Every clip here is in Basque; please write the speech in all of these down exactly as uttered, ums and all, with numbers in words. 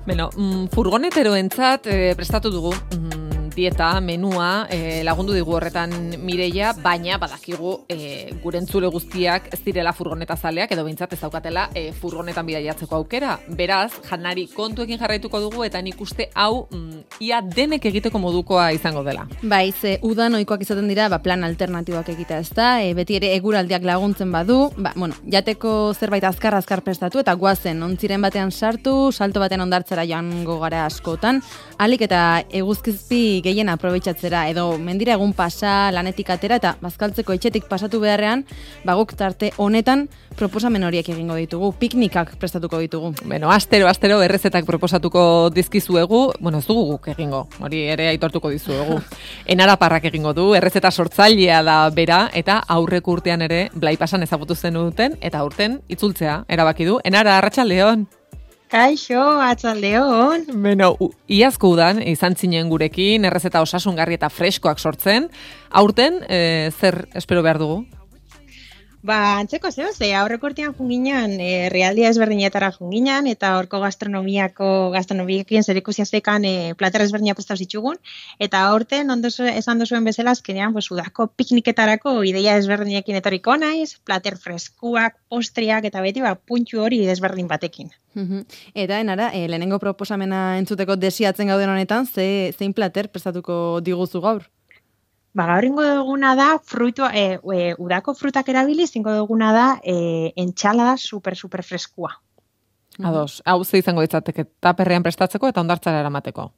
Beno, mm, furgoneteroentzat eh, prestatu dugu mm, dieta, menua, eh, lagundu digu horretan Mireia, baina badakigu eh, gure entzule guztiak ez direla furgonetazaleak edo behintzat ez daukatela eh, furgonetan bidaiatzeko aukera. Beraz, janari kontuekin jarraituko dugu eta nik uste hau mm, ia denek egiteko modukoa izango dela. Bai, ze udan ohikoak izaten dira, ba, plan alternatiboak egitea, ezta? E, beti ere eguraldiak laguntzen badu, ba, bueno, jateko zerbait azkar-azkar prestatu eta guazen ontziren batean sartu, salto baten ondartzera joango gara askotan, alik eta eguzkizpi gehien aprobetxatzera, edo mendira egun pasa, lanetik atera eta bazkaltzeko etxetik pasatu beharrean, baguk tarte honetan proposamen horiek egingo ditugu, piknikak prestatuko ditugu. Beno, astero, astero errezetak proposatuko dizkizuegu, bueno, ez dugu guk egingo, hori ere aitortuko dizuegu. Enaraparrak egingo du, errezeta sortzailea da bera, eta aurrek urtean ere Blai Pasan ezagutu zen duten, eta urten itzultzea erabaki du. Enara, arratsaldeon. Kaixo, atzaldeon. Beno, iazko udan izan zinen gurekin, errezeta osasungarri eta freskoak sortzen. Aurten, e, zer espero behar dugu? Ba, antzeko zeo, ze aurreko urtean junginan, e, realdia ezberdinetara junginan, eta horko gastronomiako, gastronomiekin zerikusia zekan e, plater ezberdina prestatu zitsugun, eta aurten, ondo esan duzuen bezala, azkenean, pues, udako pikniketarako ideia ezberdinekin etorriko naiz, plater freskuak, postriak, eta beti, ba, puntxu hori ezberdin batekin. Eta, enara, e, lehenengo proposamena entzuteko desiatzen gauden honetan, ze, zein plater prestatuko diguzu gaur? Ba, gaur ingo duguna da, fruitu, e, e, udako frutak erabiliz, ingo duguna da, e, entxalada super, super freskua. Ados, hau ze izango ditzateke, taperrean prestatzeko eta ondartzara eramateko.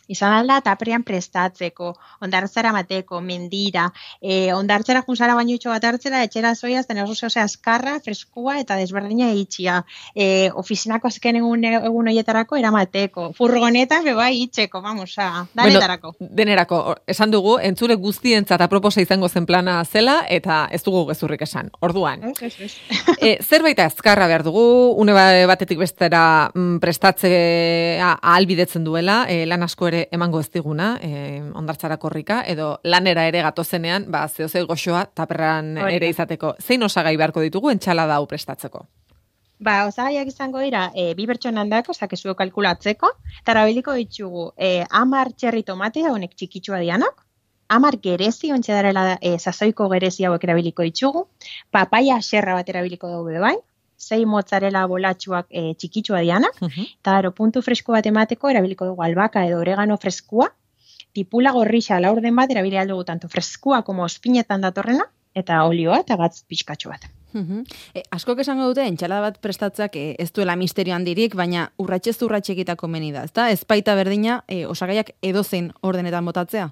Izan alda, taperrean prestatzeko, ondartzara mateko, mendira, e, ondartzara junzara baino itxo bat hartzera, etxera zoiaz, ten oso zehose azkarra, freskua eta desberdina itxia. E, ofizinako azken egun, egun horietarako eramateko. Furgonetan, beba, itxeko, vamos, a, danetarako. Bueno, denerako, esan dugu, entzure guztientzat aproposa izango zen plana zela, eta ez dugu gezurrik esan. Orduan, Es, es, es. e, zerbait azkarra behar dugu, une batetik bestera mm, prestatzea ahalbidetzen duela, e, lan asko ere emango ez diguna, eh, ondartzara korrika, edo lanera ere gatozenean, ba, zehose goxoa taperran Oida. ere izateko. Zein osagai beharko ditugu entxalada hau prestatzeko? Ba, osagaiak izango dira, e, bi bertxonan dako, zakezuo kalkulatzeko, eta erabiliko ditugu, e, amar txerri tomatea, honek txikitsua dianak, amar gerezi, ontsa darela e, sasoiko gerezi hauek erabiliko ditugu, papaia xerra bat erabiliko dugu bai, sei mozzarella bolatxuak e, txikitsua dianak, Uh-huh. eta ero puntu fresko bat emateko erabiliko dugu albaka edo oregano freskua, tipula gorrixa laurden bat erabili aldugu tanto freskua como ospinetan datorrena, eta olioa eta gatz pixkatxo bat. Uh-huh. E, askok esango dute, entxalada bat prestatzeak e, ez duela misterio handirik, baina urratxez urratxe egitako meni da, ezta? Ez baita berdina, e, osagaiak edozein ordenetan botatzea?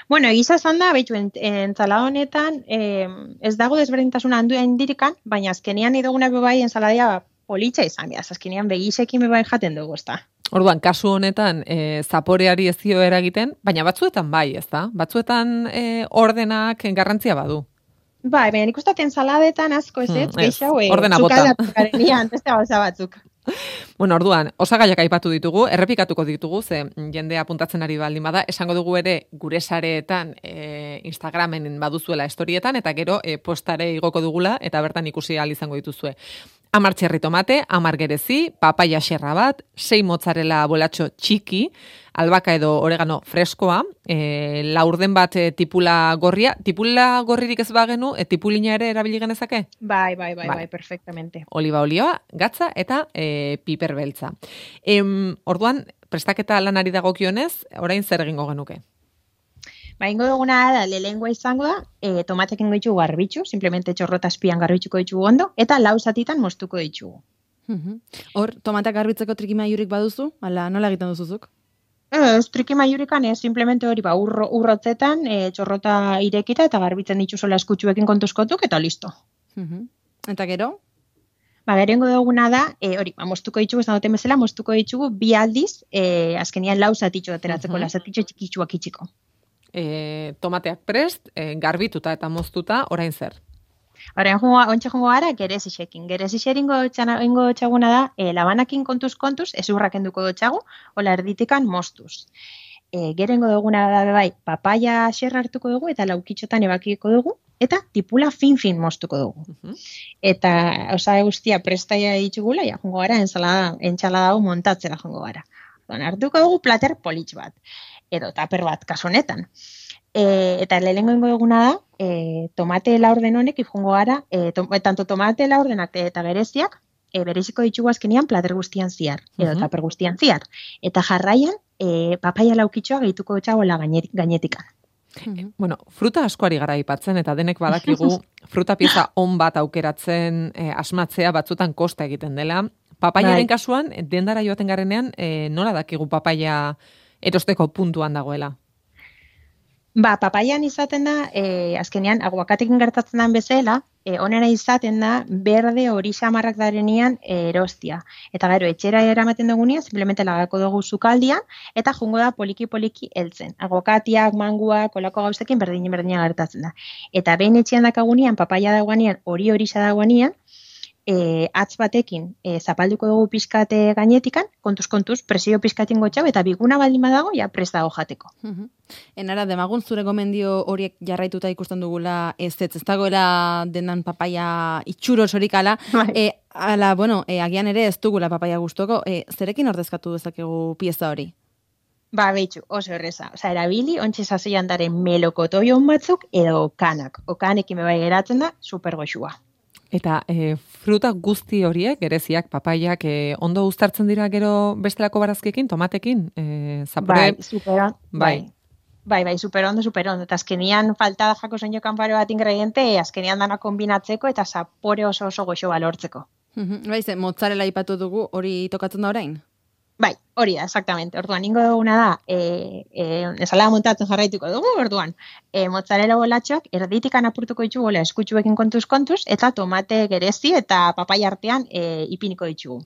Bueno, egiza esan da, behitu, entzala honetan, eh, ez dago desberdintasun handu handirikan, baina azkenian iduguna bebai enzaladia politxa izan behaz, azkenian begisekin bebai jaten dugu, ez da. Orduan, kasu honetan, e, zaporeari ez dio eragiten, baina batzuetan bai, ez da? Batzuetan e, ordenak garrantzia badu. Bai, baina nik uste enzaladetan asko ez, Hmm, ez, geixau, eh, ordena bota. zukaldatukarenian, beste gauza batzuk. Bueno, orduan, osagaiak aipatu ditugu, errepikatuko ditugu, ze jendea apuntatzen ari baldin bada, esango dugu ere gure sareetan, e, Instagramen baduzuela estorietan, eta gero e, postare igoko dugula, eta bertan ikusi ahal izango dituzue. Amar txerri tomate, amar gerezi, papaia xerra bat, sei mozzarella bolatxo txiki, albaka edo oregano freskoa, e, laurden bat e, tipula gorria, tipula gorririk ez bagenu, e, tipulina ere erabili genezake? Bai, bai, bai, Bai. bai, perfectamente. Oliba olioa, gatza eta e, piper beltza. Em, orduan, prestaketa lanari dagokionez, orain zer egingo genuke? Ba, ingo duguna da, lehengoa izango da, e, tomatekin ditugu garbitzu, simplemente txorrota azpian garbitzuko ditugu ondo, eta lau zatitan moztuko ditugu. Uh-huh. Hor, tomatak garbitzeko trikimailurik baduzu? Ala, nola egiten duzuzuk? Ez, triki maiurikan ez, simplemente hori, ba, urro, urrotzetan, e, txorrota irekita eta garbitzen dituzola eskutsuekin kontuzkotuk, eta listo. Uh-huh. Eta gero? Ba, gerengo duguna da, e, hori, ba, moztuko ditugu, ez duten bezala, moztuko ditugu bi aldiz, e, azkenian lau zatitxo ateratzeko, Mhm. la zatitxo txikitsuak itxiko. E, tomateak prest, e, garbituta eta moztuta, orain zer? Horrean, ontsa jongo gara, gerezixekin. Gerezixeringo ingo txaguna da, e, labanakin kontuz kontuz, ez urrakenduko dutxagu, hola erditikan moztuz. E, gerengo duguna da bai, papaia xerra hartuko dugu, eta laukitxotan ebakiko dugu, eta tipula fin-fin moztuko dugu. Mhm. Eta osagai guztia prestaia ditugula, ja, jongo gara, ensalada, entsalada hau montatzera jongo gara. Orduan, hartuko dugu plater politx bat, edo taper bat, kasu honetan. E, eta lehenengo ingo duguna da, e, tomate laurden honek ifungo gara, e, to, tanto tomate laurdenak eta gereziak, e, bereziko ditugu azkenian plater guztian ziar, edo Mhm. taper guztian ziar. Eta jarraian, e, papaia laukitxoa gehituko txagoela gainetikan. Bueno, fruta askoari gara aipatzen eta denek badakigu fruta pieza on bat aukeratzen e, asmatzea batzutan kosta egiten dela. Papaiaren Bai. kasuan, dendara joaten garenean, e, nola dakigu papaia erosteko puntuan dagoela? Ba, papaian izaten da, e, azkenean, aguakatekin gertatzen den bezala, e, onera izaten da, berde hori xamarrak darenian e, erostia. Eta gero, etxera eramaten dugunean, simplemente lagako dugu sukaldian, eta jungo da poliki-poliki heltzen. Aguakatiak, manguak, kolako gauzekin berdin-berdina gertatzen da. Eta behin etxean dakagunean, papaia dagoenean, hori hori dagoenean, E, atz batekin e, zapalduko dugu pizkate gainetikan, kontuz-kontuz, presio pizkatin gotxau, eta biguna baldin badago, ja prest dago jateko. Enara, demagun zure gomendio horiek jarraituta ikusten dugula ez ez, ez dagoela dendan papaia itxuro sorik ala, Bai. e, ala, bueno, e, agian ere ez dugula papaia gustoko, e, zerekin ordezkatu dezakegu pieza hori? Ba, behitxu, oso erreza. Osa, erabili, ontsi sasoian daren melokotoion batzuk, edo okanak. Okanekin bebai geratzen da, super goxua. Eta e, fruta guzti horiek, gereziak, papaiak, e, ondo uztartzen dira gero bestelako barazkekin, tomatekin? E, zapore... Bai, super on, Bai. bai. Bai, bai, super ondo, super ondo. Eta azkenian falta da jako soño kanparo bat ingrediente, azkenian dana kombinatzeko eta zapore oso oso goxo balortzeko. Bai, ze, mozzarella ipatu dugu, hori tokatzen da orain? Bai, hori da, exactamente. Orduan, ingo duguna da, e, e, ensalada montatzen jarraituko dugu, orduan, e, mozzarella bolatxoak erditikan apurtuko ditugu, eskutxuekin kontuz-kontuz, eta tomate gerezi eta papaia artean e, ipiniko ditugu.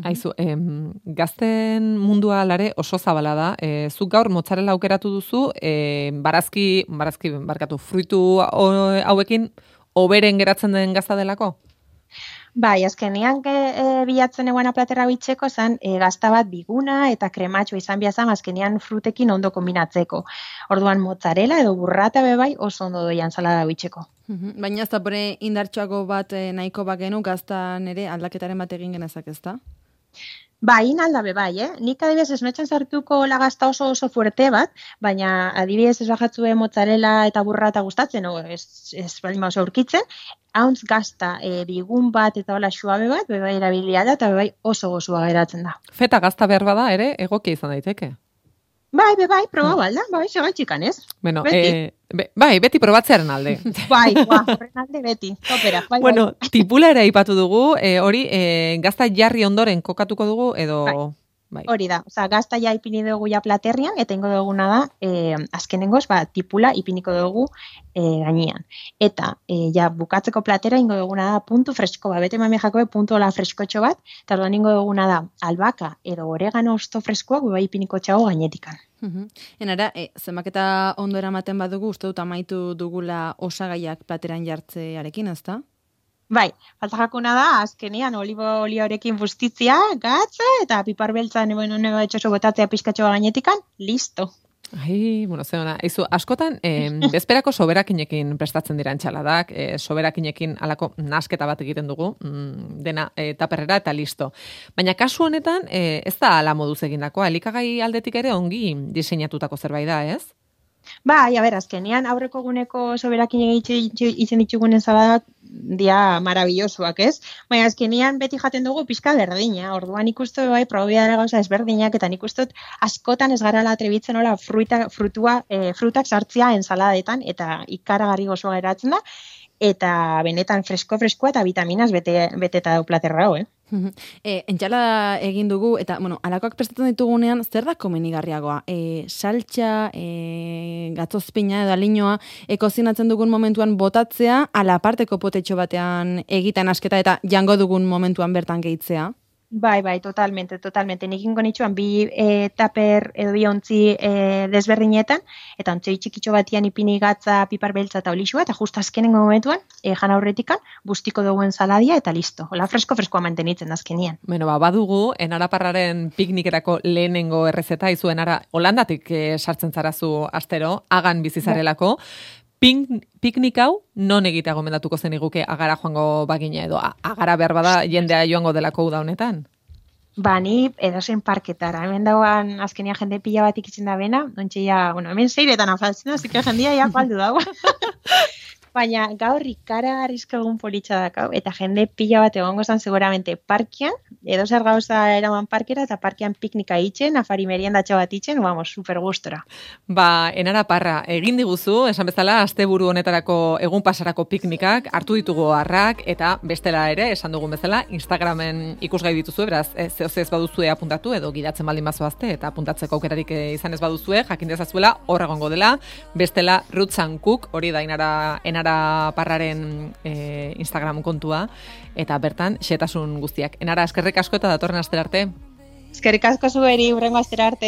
Aizu, em, gazten mundua alare oso zabala da. E, zuk gaur mozzarella aukeratu duzu, e, barazki, barazki, barkatu, fruitu hauekin oberen geratzen den gazta delako? Bai, azkenean e, bilatzen eguana platera bitzeko zan e, gazta bat biguna eta krematxo izan biazan azkenean frutekin ondo kombinatzeko. Orduan mozzarella edo burrata bebai oso ondo doian salada bitzeko. Baina ez da pore indartxoago bat eh, nahiko bagenu gaztan ere aldaketaren bat egin genezak ez da? Ba, in aldabe bai, eh? Nik adibidez ez noetzen sartuko lagazta oso oso fuerte bat, baina adibidez ez bajatzue mozzarella eta burrata gustatzen, o ez, ez baldin oso aurkitzen, hauntz gazta e, bigun bat eta hola suabe bat, bebai erabilia da, eta bebai oso gozoa geratzen da. Feta gazta behar bada ere, egokia izan daiteke. Bai, bebai, proba balda, bai, segaitxikan ez? Bueno, Beti. e, be, bai, beti probatzearen alde. Bai, ba, horren alde beti, topera. Bai, Bueno, bai. tipula ere aipatu dugu, e, hori e, gazta jarri ondoren kokatuko dugu, edo... Bai. Bai. Hori da, oza, gazta ja ipini dugu ja platerrian, eta ingo duguna da, e, azkenengoz, ba, tipula ipiniko dugu e, gainean. Eta, e, ja, bukatzeko platera ingo duguna da puntu fresko, ba, bete mami jakobe puntu hola freskotxo bat, eta orduan ingo duguna da, albaka edo oregano osto freskoak, ba, ipiniko txago gainetikan. Enara, e, zenbaketa ondo eramaten badugu, uste dut amaitu dugula osagaiak plateran jartzearekin, ez da? Bai, falta jakuna da, azkenean olibo olioarekin bustitzia, gatza, eta pipar beltza nebo nebo etxoso botatzea pizkatxoa gainetikan, listo. Ai, bueno, zeona, izu, askotan, eh, bezperako soberakinekin prestatzen dira entxaladak, eh, soberakinekin alako nasketa bat egiten dugu, mm, dena eh, taperrera eta listo. Baina kasu honetan, eh, ez da ala moduz egindakoa, elikagai aldetik ere ongi diseinatutako zerbait da, ez? Bai, a ber, azkenean aurreko guneko soberakin egiten ditugunen saladak dia marabillosoak, ez? Baina azkenean beti jaten dugu pixka berdina, orduan ikustu bai probidara gauza ezberdinak, eta nik uste dut askotan ez garala atrebitzen hola fruita, frutua, e, frutak sartzea ensaladetan, eta ikaragarri gozoa geratzen da, eta benetan fresko-freskoa eta vitaminas bete, beteta dau platerra hau, eh? E, entxala egin dugu, eta, bueno, alakoak prestatzen ditugunean, zer da komenigarriagoa? E, saltxa, e, gatzozpina edo aliñoa, e, kozinatzen dugun momentuan botatzea, ala aparteko potetxo batean egiten asketa eta jango dugun momentuan bertan gehitzea? Bai, bai, totalmente, totalmente. Nik ingo nitxuan bi e, taper edo bi ontzi e, desberdinetan, eta ontzoi txikitxo batian ipini gatza, pipar beltza eta olixua, eta just azkenengo momentuan, e, jan aurretikan, bustiko duguen saladia, eta listo. Hola, fresko-freskoa mantenitzen azkenian. Bueno, ba, badugu, enaraparraren piknikerako lehenengo errezeta, izu enara, Holandatik eh, sartzen zarazu astero, hagan bizizarelako, Pink, piknik hau non egitea gomendatuko zen iguke agara joango bagina edo agara behar bada jendea joango delako uda honetan? Ba, ni edozen parketara. Hemen dauan azkenia jende pila bat ikitzen da bena, ontsi ja, bueno, hemen zeiretan afaltzen da, zike jendia ja faldu dago. Baina gaur ikara arrisko egun politxa dakau, eta jende pila bat egongo zan seguramente parkian, edo zer gauza eraman parkera, eta parkian piknika itxen, afari meriendatxo bat itxen, vamos, super gustora. Ba, enara parra, egin diguzu, esan bezala, asteburu honetarako egun pasarako piknikak, hartu ditugu harrak, eta bestela ere, esan dugun bezala, Instagramen ikusgai dituzu, beraz, e, zehose ez baduzue apuntatu, edo gidatzen baldin bazoazte, eta apuntatzeko aukerarik izan ez baduzue, jakin dezazuela, hor egongo dela, bestela, Roots and Cook, hori da enara, enara parraren e, Instagram kontua, eta bertan xetasun guztiak. Enara, eskerrik asko eta datorren astera arte. Eskerrik asko zueri, hurrengo astera arte.